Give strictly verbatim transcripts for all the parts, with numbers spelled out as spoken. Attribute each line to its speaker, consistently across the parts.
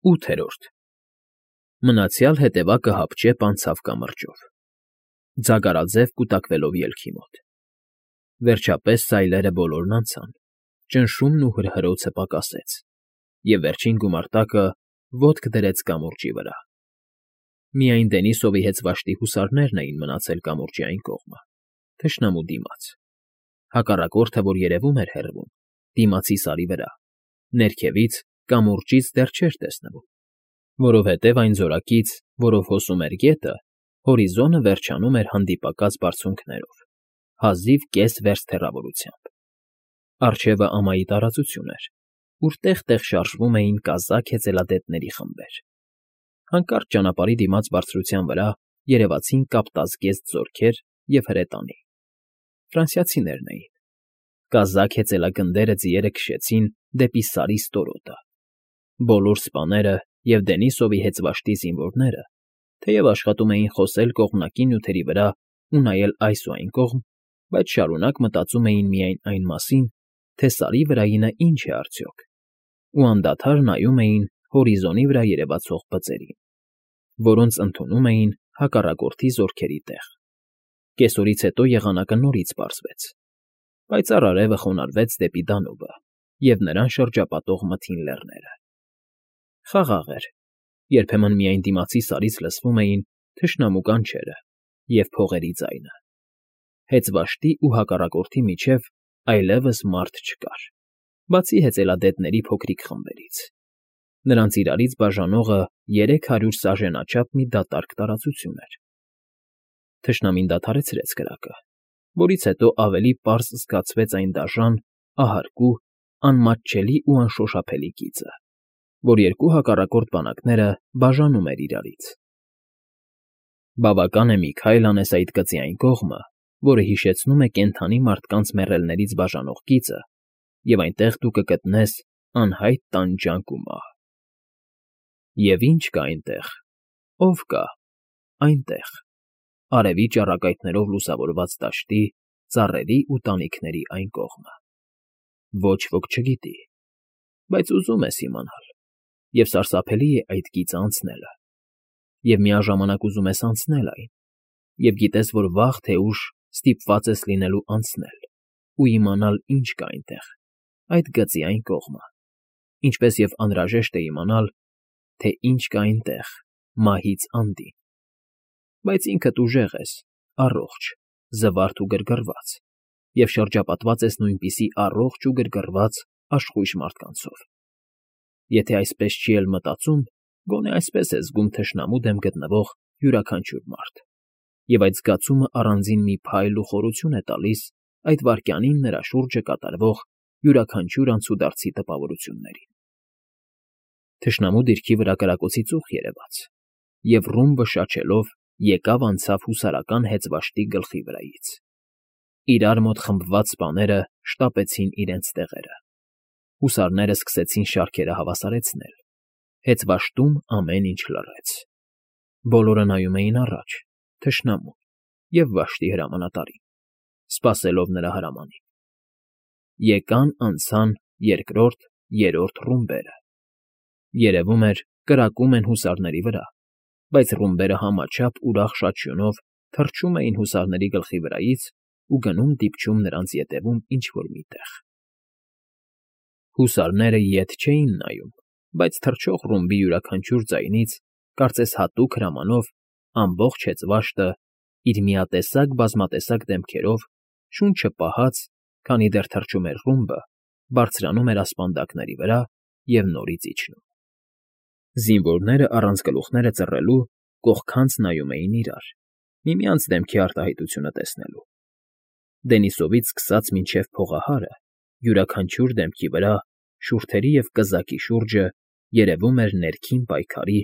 Speaker 1: ՈՒԹԵՐՈՐԴ Մնացյալ հետևակը հապճեպ անցավ կամրջով, ձագարաձև կուտակվելով ելքի մոտ. վերջապես սայլերը բոլորն անցան, ճնշումն ու հրհրոցը պակասեց, և վերջին գումարտակը ոտք դրեց կամուրջի վրա. միայն Դենիսովի հեծվաշտի հուսարներն էին մնացել կամուրջի այն կողմը, թշնամու դիմաց, հակառակորդը, որ երևում էր հեռվում, դիմացի Սարի վրա, ներքևից, կամուրջից դեռ չէր տեսնվում, որովհետև այն զորակից, որով հոսում էր գետը, հորիզոնը վերջանում էր հանդիպակաց բարձունքներով, հազիվ կես վերստ հեռավորությամբ. առջևը ամայի տարածություն էր, ուր տեղ֊տեղ շարժվում էին կազակ հեծելադետների խմբեր. հանկարծ ճանապարհի դիմաց բարձրության վրա երևացին կապտազգեստ զորքեր և հրետանի. ֆրանսիացիներն էին. կազակ հեծելագնդերը ձիերը քշեցին դեպի Սարի ստորոտը. բոլոր սպաները և Դենիսովի հեծվաշտի զինվորները, թեև աշխատում էին խոսել կողմնակի նյութերի վրա ու նայել այս ու այն կողմ, բայց շարունակ մտածում էին միայն այն մասին, թե Սարի վրայինը ինչ է արդյոք, ու անդադար նայում էին հորիզոնի վրա երևացող բծերին, որոնց ընդունում էին հակառակորդի զորքերի տեղ. կեսօրից հետո եղանակը նորից պարզվեց, պայծառ արևը խոնարհվեց դեպի Դանուբը և նրան շրջապատող մթին լեռները. խաղաղ էր, երբեմն միայն դիմացի Սարից լսվում էին թշնամու կանչերը և փողերի ձայնը. հեծվաշտի ու հակառակորդի միջև այլևս մարդ չկար, բացի հեծելադետների փոքրիկ խմբերից. նրանց իրարից բաժանողը երեք հարյուր սաժենաչափ մի դատարկ տարածություն էր. թշնամին դադարեցրեց կրակը, որից հետո ավելի պարզ զգացվեց այն դաժան, ահարկու, անմատչելի ու անշոշափելի գիծը, որ երկու հակառակորդ բանակները բաժանում էր իրարից. բավական է մի քայլ անես այդ գծի այն կողմը, որը հիշեցնում է կենդանի մարդկանց մեռելներից բաժանող գիծը, և այնտեղ դու կգտնես անհայտ տանջանք ու մահ. և ի՞նչ կա այնտեղ, ո՞վ կա այնտեղ, արևի ճառագայթներով լուսավորված դաշտի, ծառերի ու տանիքների այն կողմը. ոչ ոք չգիտի, բայց ուզում ես իմանալ, և սարսափելի է այդ գիծը անցնելը, և միաժամանակ ուզում ես անցնել այն, և գիտես, որ վաղ թե ուշ ստիպված ես լինելու անցնել ու իմանալ ինչ կա այնտեղ, այդ գծի այն կողմը, ինչպես և անհրաժեշտ է իմանալ, թե ինչ կա այնտեղ, մահից անդին, բայց ինքդ ուժեղ ես, առողջ, զվարթ ու գրգռված, և շրջապատված ես նույնպիսի առողջ ու գրգռված աշխույժ մարդկանցով. եթե այսպես չի էլ մտածում, գոնե այսպես է զգում թշնամու դեմ գտնվող յուրաքանչյուր մարդ, և այդ զգացումը առանձին մի փայլ ու խորություն է տալիս այդ վայրկյանին նրա շուրջը կատարվող յուրաքանչյուր անցուդարձի տպավորություններին. Թշնամու դիրքի վրա կրակոցի ծուխ երևաց, և ռումբը շաչելով եկավ անցավ հուսարական հեծվաշտի գլխի վրայից. իրար մոտ խմբված սպաները շտապեցին իրենց տեղերը, հուսարները սկսեցին շարքերը հավասարեցնել, հեծվաշտում ամեն ինչ լռեց, բոլորը նայում էին առաջ, թշնամուն և վաշտի հրամանատարին, սպասելով նրա հրամանին. եկան անցան երկրորդ, երրորդ ռումբերը, երևում էր կրակում են հուսարների վրա, բայց ռումբերը համաչափ ուրախ շաչյունով թռչում էին հուսարների գլխի վրայից ու գնում դիպչում նրանց ետևում ինչ֊որ մի տեղ. հուսարները ետ չէին նայում, բայց թռչող ռումբի յուրաքանչյուր ձայնից, կարծես հատուկ հրամանով, ամբողջ հեծվաշտը, իր միատեսակ բազմատեսակ դեմքերով, շունչը պահած, քանի դեռ թռչում էր ռումբը, բարձրանում էր ասպանդակների վրա և նորից իջնում. զինվորները առանց գլուխները ծռելու կողքանց նայում էին իրար, միմյանց դեմքի արտահայտությունը տեսնելու. Դենիսովից սկսած մինչև փողահարը, յուրաքանչյուր դեմքի վրա, շուրթերի և կզակի շուրջը երևում էր ներքին պայքարի,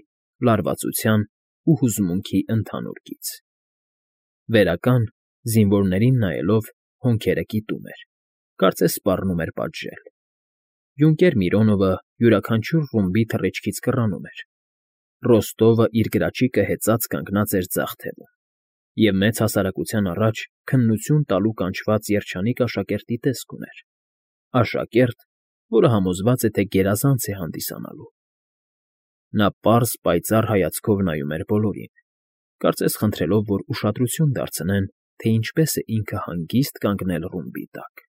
Speaker 1: լարվածության ու հուզմունքի ընդհանուր գիծ. վերական, զինվորներին նայելով, հոնքերը կիտում էր, կարծես սպառնում էր պատժել. յունկեր Միրոնովը յուրաքանչյուր ռումբի թռիչքից կռանում էր, Ռոստովը իր գրաչիկը հեծած կանգնած էր ձախ թևում, և մեծ հասարակության առաջ քննություն տալու կանչված երջանիկ աշակերտի տեսք ուներ, աշակերտ, որը համոզված է, թե գերազանց է հանդիսանալու։ Նա պարզ, պայծառ հայացքով նայում էր բոլորին, կարծես խնդրելով, որ ուշադրություն դարձնեն, թե ինչպես է ինքը հանգիստ կանգնել ռումբի տակ։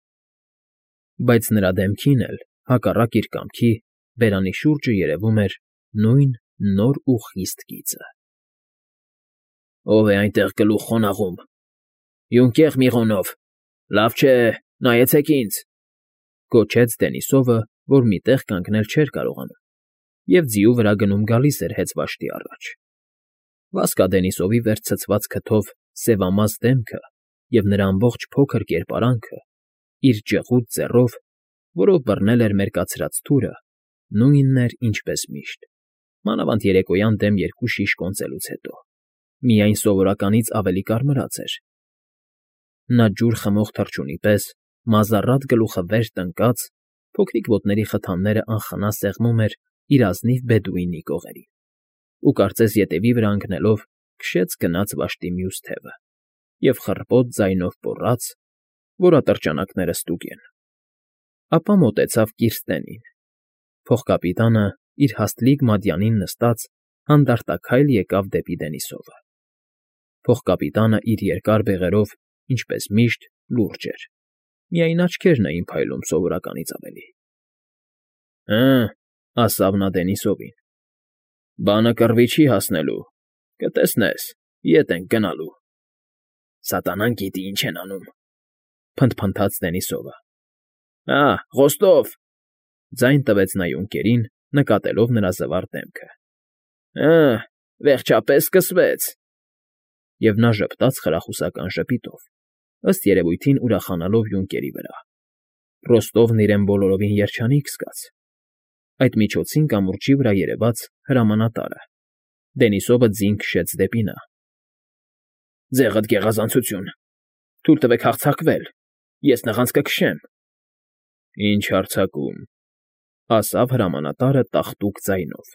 Speaker 1: Բայց նրա դեմքին էլ, հակառակ իր կամքի, բերանի շուրջը երևում էր նույն նոր ու խիստ գիծը։ ֊ Ո՞վ է այնտեղ գլուխ խոնաղում։ Յունկեղ Միղոնով, լավ չէ, նայեցեք ինձ,֊ գոչեց Դենիսովը, որ մի տեղ կանգնել չէր կարողանում, և ձիու վրա գնում֊գալիս էր հեծվաշտի առաջ։ Վասկա Դենիսովի վեր ցցված քթով սևամազ դեմքը և նրա ամբողջ փոքր կերպարանքը, իր ջղուդ ձեռով, որով բռնել էր մերկացրած թուրը, նույնն էր, ինչպես միշտ, մանավանդ երեկոյան դեմ երկու շիշ կոնծելուց հետո, միայն սովորականից ավելի կարմրած էր։ Նա ջուր խմող թռչունի պես, մազառատ գլուխը վեր տնկած, փոքրիկ ոտների խթաններն անխնա սեղմում էր իր ազնիվ բեդուինի կողերին ու կարծես ետևի վրա ընկնելով քշեց գնաց վաշտի մյուս թևը և խռպոտ ձայնով պոռաց, որ ատրճանակները ստուգեն։ Ապա մոտեցավ Կիրստենին։ Փողկապիտանը, իր հաստլիկ մատյանին նստած, հանդարտակայլ եկավ դեպի Դենիսովը։ Փողկապիտանը իր երկար բեղերով, ինչպես միշտ, լուրջ էր, միայն աչքերն էին փայլում սովորականից ավելի։ ֊ Հը,֊ ասավ նա Դենիսովին,֊ բանը կռվի չի հասնելու, կտեսնես, ետ ենք գնալու։ ֊ Սատանան գիտի ինչ են անում,֊ փնթփնթաց Դենիսովը։ ֊ Ա՜, խոստով,֊ ձայն տվեց նա Յունկերին, նկատելով նրա զվարթ դեմքը։ ֊ Հը, վերջապես սկսվեց… Եվ նա ժպտաց խրախուսական ժպիտով, ըստ երևույթին ուրախանալով Յունկերի վրա։ Ռոստովն իրեն բոլորովին երջանիկ զգաց։ Այդ միջոցին կամուրջի վրա երևաց հրամանատարը։ Դենիսովը ձին քշեց դեպի նա։ ֊ Ձեղդ գեղազանցություն, թույլ տվեք հարձակվել, ես նղանց կքշեմ։ ֊ Ինչ հարձակում,֊ ասավ հրամանատարը տաղտուկ ձայնով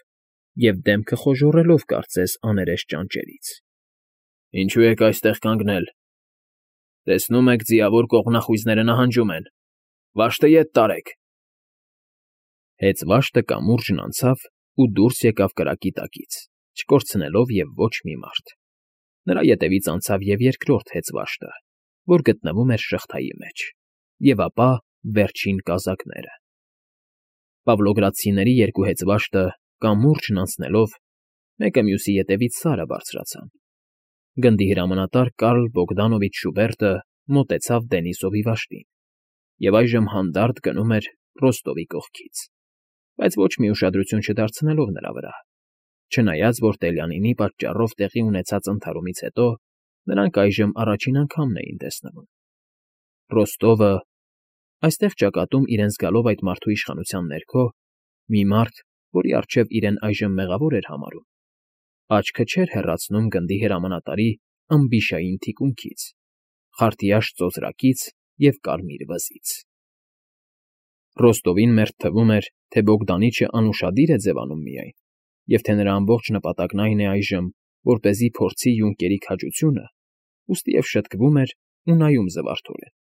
Speaker 1: և դեմքը խոժոռելով կարծես աներես ճանճերից։ ֊ Ինչո՞ւ եք այստեղ կանգնել։ Տեսնում եք, ձիավոր կողմնախույզները նահանջում են, վաշտը ետ տարեք։ Հեծվաշտը կամուրջն անցավ ու դուրս եկավ կրակի տակից, չկորցնելով և ոչ մի մարդ։ Նրա ետևից անցավ և երկրորդ հեծվաշտը, որ գտնվում էր շղթայի մեջ, և ապա վերջին կազակները։ Պավլոգրադցիների երկու հեծվաշտը, կամուրջն անցնելով, մեկը մյուսի ետևից սարը բարձրացան։ Գնդի հրամանատար Կարլ Բոգդանովիչ Շուբերտը մոտեցավ Դենիսովի վաշտին և այժմ հանդարտ գնում էր Ռոստովի կողքից, բայց ոչ մի ուշադրություն չդարձնելով նրա վրա, չնայած որ Տելյանինի պատճառով տեղի ունեցած ընդհարումից հետո նրանք այժմ առաջին անգամն էին տեսնվում։ Ռոստովը… Այստեղ ճակատում իրեն զգալով այդ մարդու իշխանության ներքո, մի մարդ, որի առջև իրեն այժմ մեղավոր էր համարում, աչքը չէր հեռացնում գնդի հրամանատարի ըմբիշային թիկունքից, խարտիաշ ծոծրակից և կարմիր վզից։ Ռոստովին մերթ թվում էր, թե Բոգդանիչը անուշադիր է ձևանում միայն, և թե նրա ամբողջ նպատակն այն է այժմ, որպեսզի փորձի Յունկերի քաջությունը, ուստիև շտկվում էր ու նայում զվարթորեն։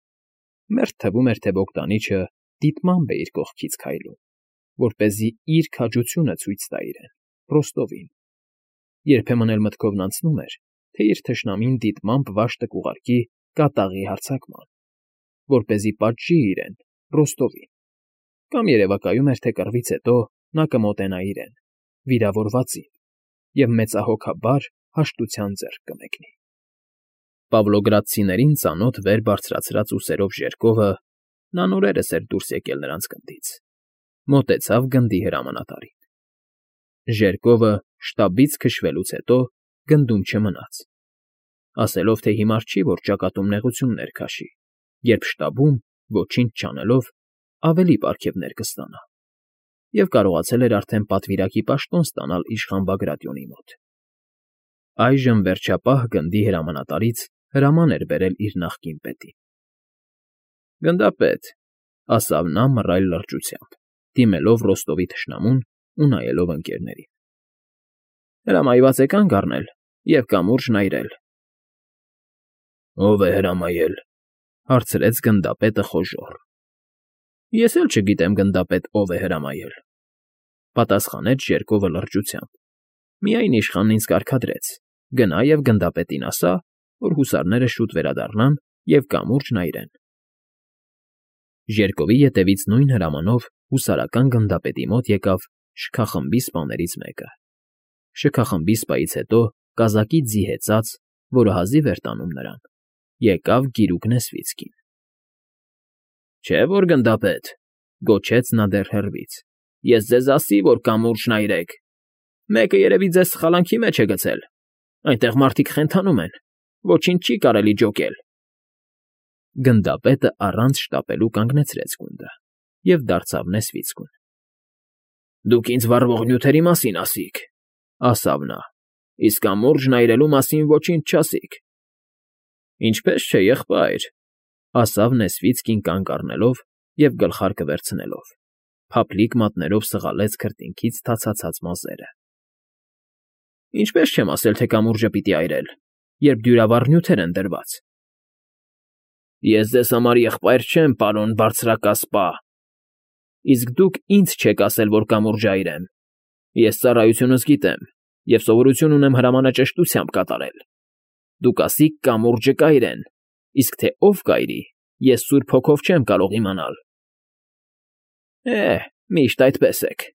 Speaker 1: Մերթ թվում էր, թե Բոգդանիչը դիտմամբ է իր կողքից քայլում, որպեսզի իր քաջությունը ցույց տա իրեն, Ռոստովին։ Երբեմն էլ մտքովն անցնում էր, թե իր թշնամին դիտմամբ վաշտը կուղարկի կատաղի հարձակման, որպեսզի պատժի իրեն, Ռոստովին, կամ երևակայում էր, թե կռվից հետո նա կմոտենա իրեն, վիրավորվածին, և մեծահոգաբար հաշտության ձեռք կմեկնի։ Պավլոգրադցիներին ծանոթ վեր բարձրացրած ուսերով ժերկովը (նա նորերս էր դուրս եկել նրանց գնդից) մոտեցավ գնդի հրամանատարին։ Ժերկովը շտաբից քշվելուց հետո գնդում չմնաց, ասելով, թե հիմար չի, որ ճակատում նեղություններ քաշի, երբ շտաբում, ոչինչ չանելով, ավելի պարգևներ կստանա, և կարողացել էր արդեն պատվիրակի պաշտոն ստանալ իշխան Բագրատիոնի մոտ։ Այժմ վերջապահ գնդի հրամանատարից հրաման էր բերել իր նախկին պետին։ ֊ Գնդապետ,֊ ասավ նա մռայլ լրջությամբ, դիմելով Ռոստովի թշնամուն ու նայելով ընկներներին,֊ հրամայված է կանգ առնել և կամուրջն այրել։ ֊ Ո՞վ է հրամայել,֊ հարցրեց գնդապետը խոժոռ։ ֊ Ես էլ չգիտեմ, գնդապետ, ով է հրամայել,֊ պատասխանեց Ժերկովը լրջությամբ, Միայն իշխանն ինձ կարգադրեց. գնա և գնդապետին ասա, որ հուսարները շուտ վերադառնան և կամուրջ նայրեն։ Ժերկովի ետևից նույն հրամանով հուսարական գնդապետի մոտ եկավ շքախմբի սպաներից մեկը։ Շքախմբի սպայից հետո կազակից ձի հեծած, որը հազիվ էր տանում նրան, եկավ գիրուկ Նեսվիցկին։ ֊ Չէ՞ որ, գնդապետ,֊ գոչեց նա դեռ հեռվից,֊ ես ձեզ ասի, որ կամուրջ նայրեք… Մեկը երևի ձեզ սխալանքի մեջ է գցել… Այնտեղ մարդիկ խենթանում են, ոչինչ չի կարելի ջոկել… Գնդապետը առանց շտապելու կանգնեցրեց գունդը և դարձավ Նեսվիցկուն։ ֊ Դուք ինձ վառվող նյութերի մասին ասիք,֊ ասավ նա,֊ իսկ կամուրջ նայրելու մասին ոչինչ չասիք։ ֊ Ինչպես չէ, եղբայր,֊ ասավ Նեսվիցկին կանգ առնելով և գլխարկը վերցնելով, փափլիկ մատներով սղալեց քրտինքից թացացած մազերը։ ֊ Ինչպես չեմ ասել, թե կամուրջը պիտի այրել, երբ դյուրավառ նյութեր են դրված։ ֊ Ես ձեզ համար եղբայր չեմ, պարոն բարձրակասպա, իսկ դուք ինձ չեք ասել, որ կամուրջը այրեմ։ Ես ծառայությունս գիտեմ և սովորություն ունեմ հրամանը ճշտությամբ կատարել։ Դուք ասիք կամուրջը կայրեն, իսկ թե ով կայրի, ես Սուրբ Հոգով չեմ կարող իմանալ։ ֊ Է՛հ, միշտ այդպես եք,֊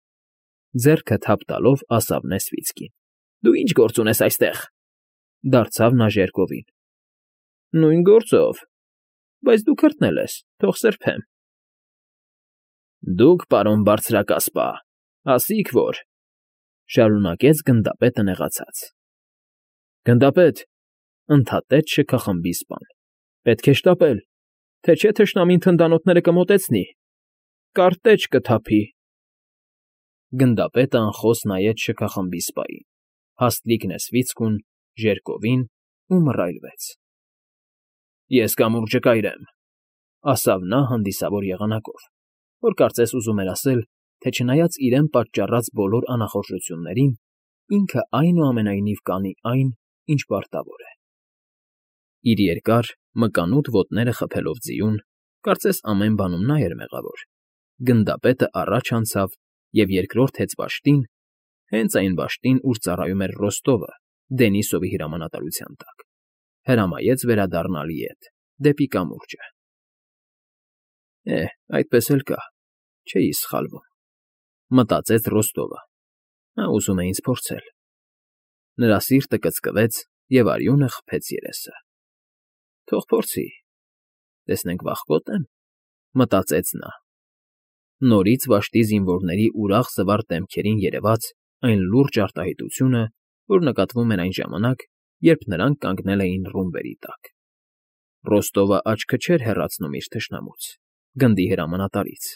Speaker 1: ձեռքը թափ տալով ասավ Նեսվիցկին։ ֊ Դու ի՞նչ գործ ունես այստեղ,֊ դարձավ նա Ժերկովին։ ֊ Նույն գործով, բայց դու քրտնել ես, թող սրբեմ։ ֊ Դուք, պարոն բարձրակասպա, ասիք որ,֊ շարունակեց գնդապետը նեղացած։ ֊ Գնդապետ,֊ ընդհատեց շքախմբի սպան,֊ պետք է շտապել, թե չէ թշնամին թնդանոթները կմոտեցնի, կարտեճ կթափի… Գնդապետը անխոս նայեց շքախմբի սպային, հաստլիկ Նեսվիցկուն, Ժերկովին ու մռայլվեց։ ֊ Ես կամուրջը կայրեմ,֊ ասավ նա հանդիսավոր եղանակով, որ կարծես ուզում էր ասել, թե չնայած իրեն պատճառած բոլոր անախորժություններին, ինքը այնուամենայնիվ կանի այն, ինչ պարտավոր է։ Իր երկար, մկանուտ ոտները խփելով ձիուն, կարծես ամեն բանում նա էր մեղավոր, գնդապետը առաջ անցավ և երկրորդ հեծվաշտին, հենց այն վաշտին, ուր ծառայում էր Ռոստովը Դենիսովի հրամանատարության տակ, հրամայեց վերադառնալ ետ, դեպի կամուրջը։ «Է՛հ, այդպես էլ կա, չէի սխալվում,֊ մտածեց Ռոստովը, նա ուզում է ինձ փորձել»։ Նրա սիրտը կծկվեց և արյունը խփեց երեսը։ «Թող փորձի, տեսնենք վախվո՞տ եմ,֊ մտածեց նա։ Նորից վաշտի զինվորների ուրախ զվարթ դեմքերին երևաց այն լուրջ արտահայտությունը, որ նկատվում էր այն ժամանակ, երբ նրանք կանգնել էին ռումբերի տակ։ Ռոստովը աչքը չէր հեռացնում իր թշնամուց, գնդի հրամանատարից,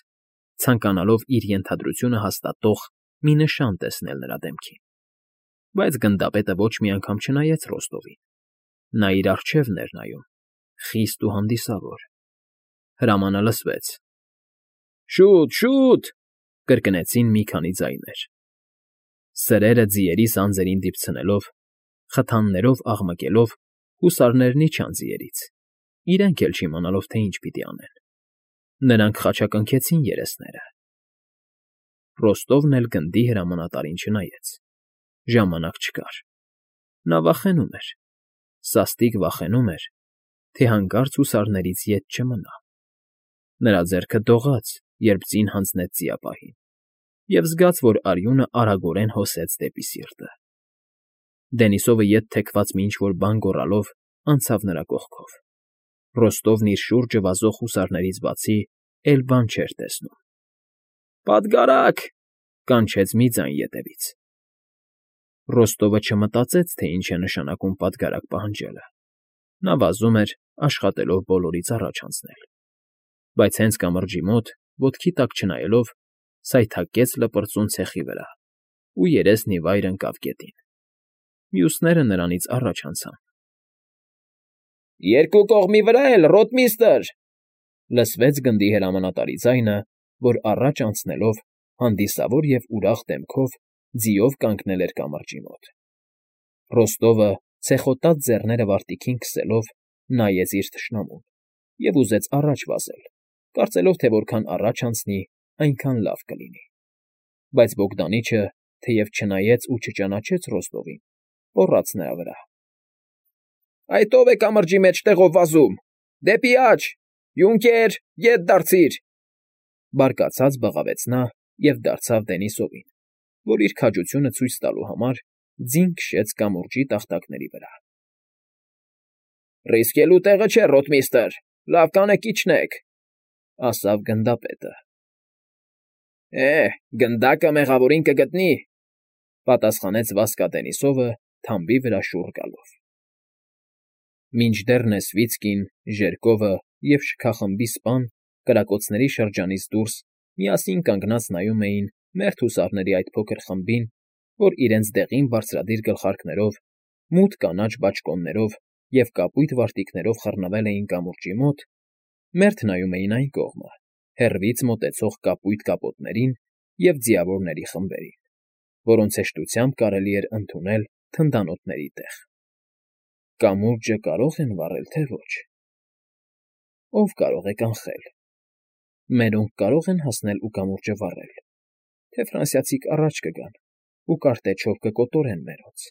Speaker 1: ցանկանալով իր ենթադրությունը հաստատող մի նշան տեսնել նրա դեմքին։ Բայց գնդապետը ոչ մի անգամ չնայեց Ռոստովին. նա իր առջևն էր նայում, խիստ ու հանդիսավոր։ Հրամանը լսվեց։ «Շուտ, շուտ!» կրկնեցին մի քանի ձայներ։ Սրերը ձիերի սանձերին դիպցնելով, խթաններով աղմկելով, հուսարներն իջան ձիերից, իրենք էլ չիմանալով, թե ինչ պիտի անեն։ Նրանք խաչակնքեցին երեսները։ Ռոստովն էլ գնդի հրամանատարին չնայեց։ Ժամանակ չկար։ Նա վախենում էր, սաստիկ վախենում էր, թե հանկարծ հուսարներից ետ չմնա։ Նրա ձեռքը դողաց, երբ ձին հանձնեց ձիապահին, և զգաց, որ արյունը արագորեն հոսեց դեպի սիրտը։ Դենիսովը ետ թեքված մի ինչ֊որ բան գոռալով անցավ նրա կողքով։ Ռոստովն իր շուրջը վազող հուսարներից բացի էլ բան չէր տեսնում։ «Պատգարա՜կ,֊ կանչեց մի ձայն ետևից։ Ռոստովը չմտածեց, թե ինչ է նշանակում պատգարակ պահանջելը։ Նա վազում էր, աշխատելով բոլորից առաջ անցնել։ Բայց հենց կամրջի մոտ, ոտքի տակ չնայելով, սայթաքեց լպրծուն ցեխի վրա ու երեսն ի վայր ընկավ գետին։ Մյուսները նրանից առաջ անցան։ «Երկու կողմի վրա էլ, ռոտմիստր,֊ լսվեց գնդի հրամանատարի ձայնը, որ առաջ անցնելով, հանդիսավոր և ուրախ դեմքով ձիով կանգնել էր կամրջի մոտ։ Ռոստովը, ցեխոտած ձեռները վարտիքին քսելով, նայեց իր թշնամուն և ուզեց առաջ վազել, կարծելով, թե որքան առաջ անցնի, այնքան լավ կլինի։ Բայց բոգդանիչը, թեև չնայեց ու չճանաչեց Ռոստովին, մոռաց նրա վրա։ ֊ Այդ ո՞վ է կամրջի մեջտեղով վազում, դեպի աջ, յունկեր, ետ դարձիր,֊ բարկացած բղավեց նա և դարձավ Դենիսովին, որ իր քաջությունը ցույց տալու համար ձին քշեց կամուրջի տախտակների վրա։ ֊ Ռիսկելու տեղը չէ, ռոթմիստրը, լավ կանեք իջնեք,֊ ասավ գնդապետը։ ֊ Է, գնդակը մեղավորին կգտնի,֊ պատասխանեց Վասկա Դենիսովը թամբի վրա շուռ գալով։ Մինչդեռ Նեսվիցկին, Ժերկովը և շքախմբի սպան կրակոցների շրջանից դուրս միասին կանգնած նայում էին մերթ հուսարների այդ փոքր խմբին, որ իրենց դեղին բարձրադիր գլխարկներով, մութ կանաչ բաճկոններով և կապույտ վարտիքներով խռնվել էին կամուրջի մոտ, մերթ նայում էին այն կողմը, հեռվից մոտեցող կապույտ կապոտներին և ձիավորների խմբերին, որոնց հեշտությամբ կարելի էր ընդունել թնդանոթների տեղ։ Կամուրջը կարո՞ղ են վառել, թե ոչ… Ո՞վ կարող է կանխել… Մերոնք կարո՞ղ են հասնել ու կամուրջը վառել, թե ֆրանսիացիք առաջ կգան ու կարտեչով կկոտորեն մերոնց…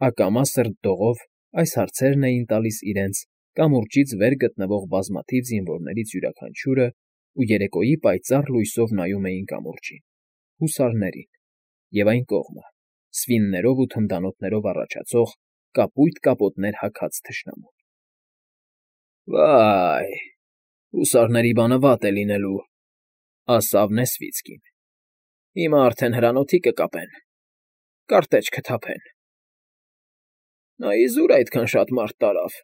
Speaker 1: Ակամա սրտդողով այս հարցերն էին տալիս իրենց կամուրջից վեր գտնվող բազմաթիվ զինվորներից յուրաքանչյուրը ու երեկոյի պայծառ լույսով նայում էին կամուրջին, հուսարներին և այն կողմը, սվիններով ու թնդանոթներով առաջացող կապույտ կապոտներ հագած թշնամուն։ ֊ Վա՜յ, հուսարների բանը վատ է լինելու,֊ ասավ Նեսվիցկին։֊ Հիմա արդեն հրանոթի կկապեն, կարտեչ կթափեն։ ֊ Նա իզուր այդքան շատ մարդ տարավ,֊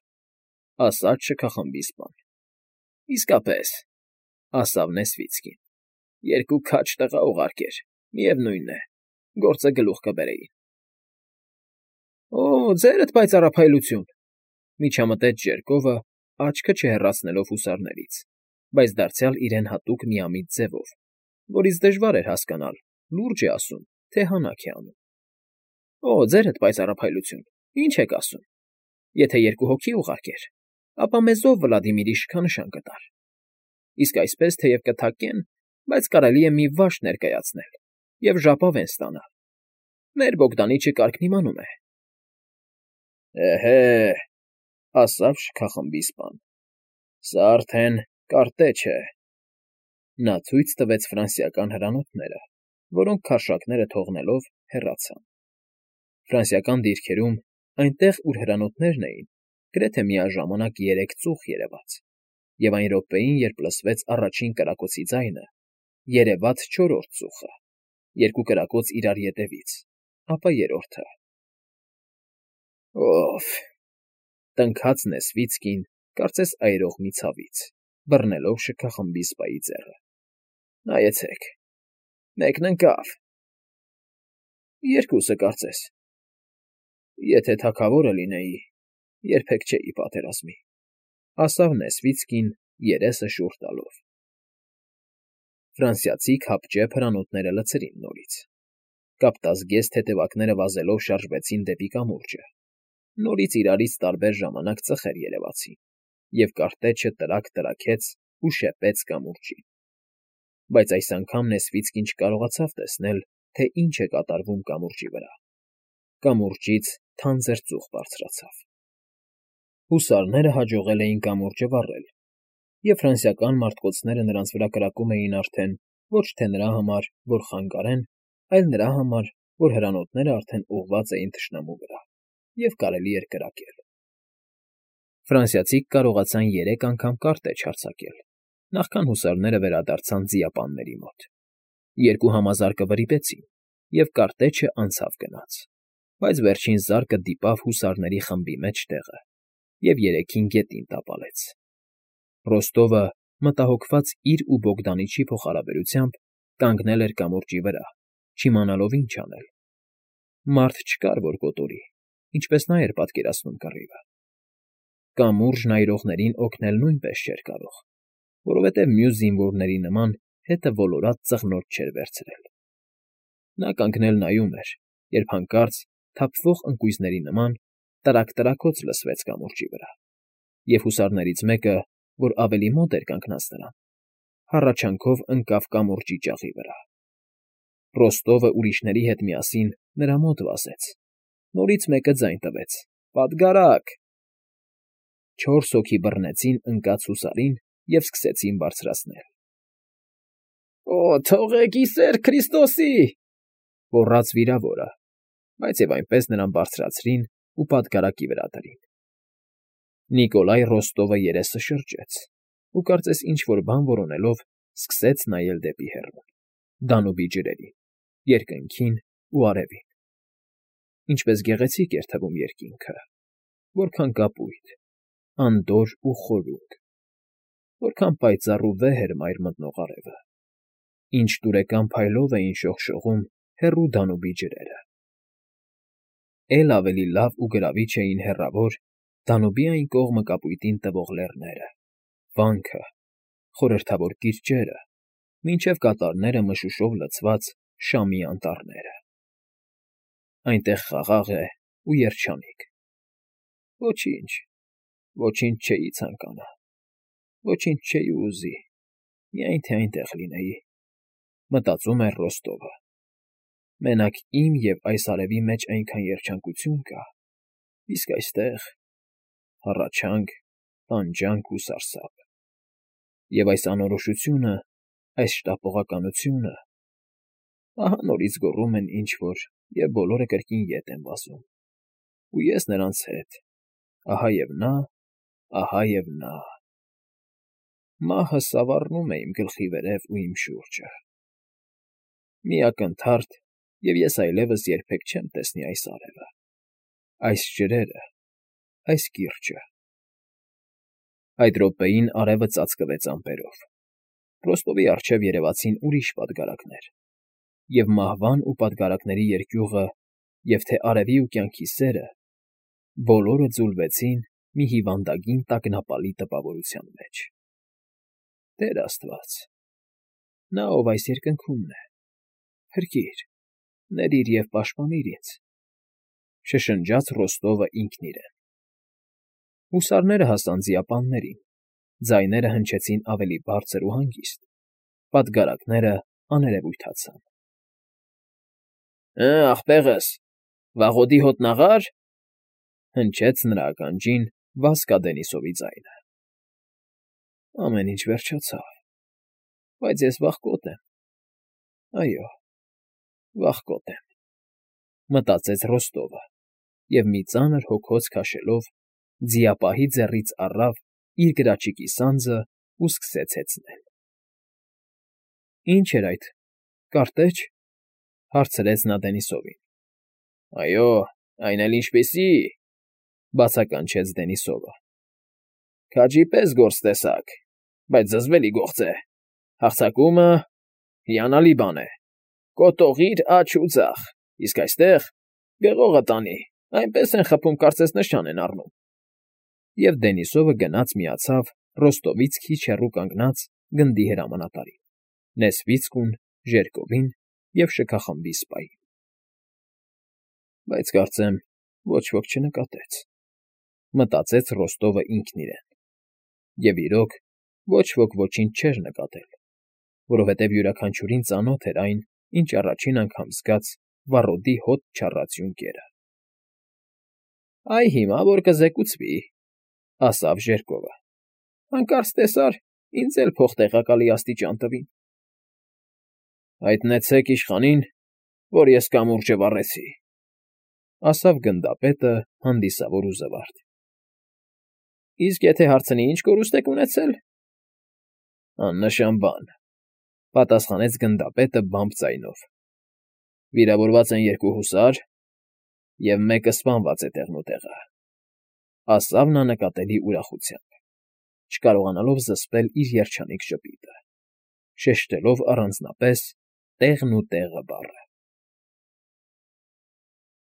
Speaker 1: ասաց շքախմբի սպան։ ֊ Իսկապես,֊ ասավ Նեսվիցկին,֊ երկու քաջ տղա ուղարկեր, միևնույն է, գործը գլուխ կբերեին։ ֊ Օ՜, ձերդ պայծառափայլություն,֊ միջամտեց Ժերկովը, աչքը չհեռացնելով հուսարներից, բայց դարձյալ իրեն հատուկ միամիտ ձևով, որից դժվար էր հասկանալ՝ լուրջ է ասում, թե հանաք է անում։ ֊ Օ՜, ձերդ պայծառափայլություն, ի՞նչ եք ասում… Եթե երկու հոգի ուղարկեր, ապա մեզ ով Վլադիմիրի շքանշան կտար… Իսկ այսպես թեև կթակեն, բայց կարելի է մի վաշ ներկայացնել և ժապավեն ստանալ… Մեր Բոգդանիչը կարգն իմանում է։ ֊ Էհե,֊ ասավ շքախմբի սպան,֊ սա արդեն կարտեչ է… Նա ցույց տվեց ֆրանսիական հրանոթները, որոնք քարշակները թողնելով հեռացան։ Ֆրանսիական դիրքերում, այնտեղ, ուր հրանոթներն էին, գրեթե միաժամանակ երեք ծուխ երևաց, և այն րոպեին, երբ լսվեց առաջին կրակոցի ձայնը, երևաց չորրորդ ծուխը, երկու կրակոց իրար ետևից, ապա երրորդը։ ֊ Օ՜ֆ,֊ տնքաց Նեսվիցկին, կարծես այրող մի ցավից, բռնելով շքախմբի սպայի ձեռը։ ֊ Նայեցեք, մեկն ընկավ… ֊ Երկուսը, կարծես… Եթե թագավորը լինեի, երբեք չէի պատերազմի,֊ ասավ Նեսվիցկին, երեսը շուռ տալով։ Ֆրանսիացի քապճեպ հրանոթները լցրին նորից, կապտազգեստ հետևակները վազելով շարժվեցին դեպի կամուրջը, նորից իրարից տարբեր ժամանակ ծխեր երևացին, և կարտեչը տրակ֊տրաքեց ու շեպեց կամուրջին։ Բայց այս անգամ Նեսվիցկին չկարողացավ տեսնել, թե ինչ է կատարվում կամուրջի վրա… Կամուրջից թանձր ծուխ բարձրացավ։ Հուսարները հաջողել էին կամուրջը վառել, և ֆրանսիական մարտկոցները նրանց վրա կրակում էին արդեն ոչ թե նրա համար, որ խանգարեն, այլ նրա համար, որ հրանոթները արդեն ուղղված էին թշնամու վրա, և կարելի էր կրակել։ Ֆրանսիացիք կարողացան երեք անգամ կարտեչ հարձակել, նախքան հուսարները վերադարձան ձիապանների մոտ։ Երկու համազարկը վրիպեցին, և կարտեչը անցավ գնաց, բայց վերջին զարկը դիպավ հուսարների խմբի մեջտեղը և երեքին գետին տապալեց։ Ռոստովը, մտահոգված իր ու Բոգդանիչի փոխհարաբերությամբ, կանգնել էր կամուրջի վրա, չիմանալով ինչ անել։ Մարդ չկար, որ կոտորի, ինչպես նա էր պատկերացնում կռիվը։ Կամուրջն այրողներին օգնել նույնպես չէր կարող, որովհետև մյուս զինվորների նման հետը ոլորած ծղնոտ չէր վերցրել։ Նա կանգնել նայում էր, երբ հանկարծ, թափվող ընկույզների նման, տրակ֊տրաքոց լսվեց կամուրջի վրա, և հուսարներից մեկը, որ ավելի մոտ էր կանգնած նրան, հառաչանքով ընկավ կամուրջի ճաղի վրա։ Ռոստովը ուրիշների հետ միասին նրա մոտ վազեց, նորից մեկը ձայն տվեց. «Պատգարակ»։ Չորս հոգի բռնեցին ընկած հուսարին և սկսեցին բարձրացնել։ «Օ, թողեք, ի սեր Քրիստոսի», գոռաց վիրավորը, բայց և այնպես նրան բարձրացրին ու պատգարակի վրա դրին։ Նիկոլայ Ռոստովը երեսը շրջեց ու կարծես ինչ֊որ բան որոնելով սկսեց նայել դեպի հեռուն, Դանուբի ջրերին, երկնքին ու արևին. ինչպես գեղեցիկ էր թվում երկինքը, որքան կապույտ, անդորր ու խորհուրդ, որքան պայծառ ու վեհ էր մայր մտնող արևը, ինչ տուրեկան փայլով էին շողշողում հեռու Դանուբի ջրերը։ Էլ ավելի լավ ու գրավիչ էին հեռավոր Դանուբի այն կողմը կապույտին տվող լեռները, վանքը, խորհրդավոր կիրճերը, մինչև կատարները մշուշով լցված Շամի անտառները։ Այնտեղ խաղաղ է ու երջանիկ։ Ոչինչ, ոչինչ չէի ցանկանա, ոչինչ չէի ուզի, միայն թե այնտեղ լինեի, մտածում էր Ռոստովը։ Մենակ իմ և այս արևի մեջ այնքան երջանկություն կա, իսկ այստեղ՝ հառաչանք, տանջանք ու սարսափ։ Եվ այս անորոշությունը, այս շտապողականությունը… Ահա նորից գոռում են ինչ֊որ և բոլորը կրկին ետ են վազում, ու ես նրանց հետ, ահա և նա, ահա և նա… Մահը սավառնում է իմ գլխի վերև ու իմ շուրջը… Մի ակնթարթ, և ես այլևս երբեք չեմ տեսնի այս արևը, այս ջրերը, այս կիրճը… Այդ րոպեին արևը ծածկվեց ամպերով, Ռոստովի առջև երևացին ուրիշ պատգարակներ, և մահվան ու պատգարակների երկյուղը, և թե արևի ու կյանքի սերը, բոլորը ձուլվեցին մի հիվանդագին տագնապալի տպավորության մեջ… Տեր աստված… Նա, ով այս երկնքումն է… Փրկիր, ների՛ր և պաշտպանիր ինձ… շշնջաց Ռոստովը ինքն իրեն… Հուսարները հասան ձիապաններին, ձայները հնչեցին ավելի բարձր ու հանգիստ, պատգարակները աներևույթացան։ «Հը, ախպեղս, վաղոդի հոտնաղա՞ր», հնչեց նրա ականջին Վասկա Դենիսովի ձայնը։ Ամեն ինչ վերջացավ, բայց ես վախկոտ եմ, այո, վախկոտ եմ, մտածեց Ռոստովը և մի ծանր հոգոց քաշելով ձիապահի ձեռքից առավ իր գրաչիկի սանձն ու սկսեց հեծնել։ «Ի՞նչ էր այդ, կարտե՞ջ», հարցրեց նա Դենիսովին։ «Այո, այն էլ ինչպիսի՜», բացականչեց Դենիսովը։ «Քաջի պես գործ տեսակ, բայց զզվելի գործ է, հարձակումը… հիանալի բան է, կոտողիր աջ ու ձախ, իսկ այստեղ… գեղողը տանի, այնպես են խփում, կարծես նշան են առնում»։ Եվ Դենիսովը գնաց միացավ Ռոստովից քիչ հեռու կանգնած գնդի հրամանատարին, Նեսվիցկուն, Ժերկովին և շքախմբի սպային։ Բայց կարծեմ, ոչ ոք չնկատեց, մտածեց Ռոստովը ինքն իրեն։ Եվ իրոք, ոչ ոք ոչինչ չէր նկատել, որովհետև յուրաքանչյուրին ծանոթ էր այն, ինչ առաջին անգամ զգաց վառոդի հոտ չառած յունկերը։ «Այ հիմա որ կզեկուցվի», ասավ Ժերկովը, «հանկարծ տեսար, ինձ էլ փոխտեղակալի աստիճան տվին»։ «Հայտնեցեք իշխանին, որ ես կամուրջը վառեցի», ասավ գնդապետը հանդիսավոր ու զվարթ։ «Իսկ եթե հարցնի՝ ինչ կորուստ եք ունեցել»։ «Աննշան բան», պատասխանեց գնդապետը բամբ ձայնով։ «Վիրավորված են երկու հուսար, և մեկը սպանված է տեղնուտեղը», ասավ նա նկատելի ուրախությամբ, չկարողանալով զսպել իր երջանիկ ժպիտը, շեշտելով առանձնապես «տեղնուտեղը» բառը։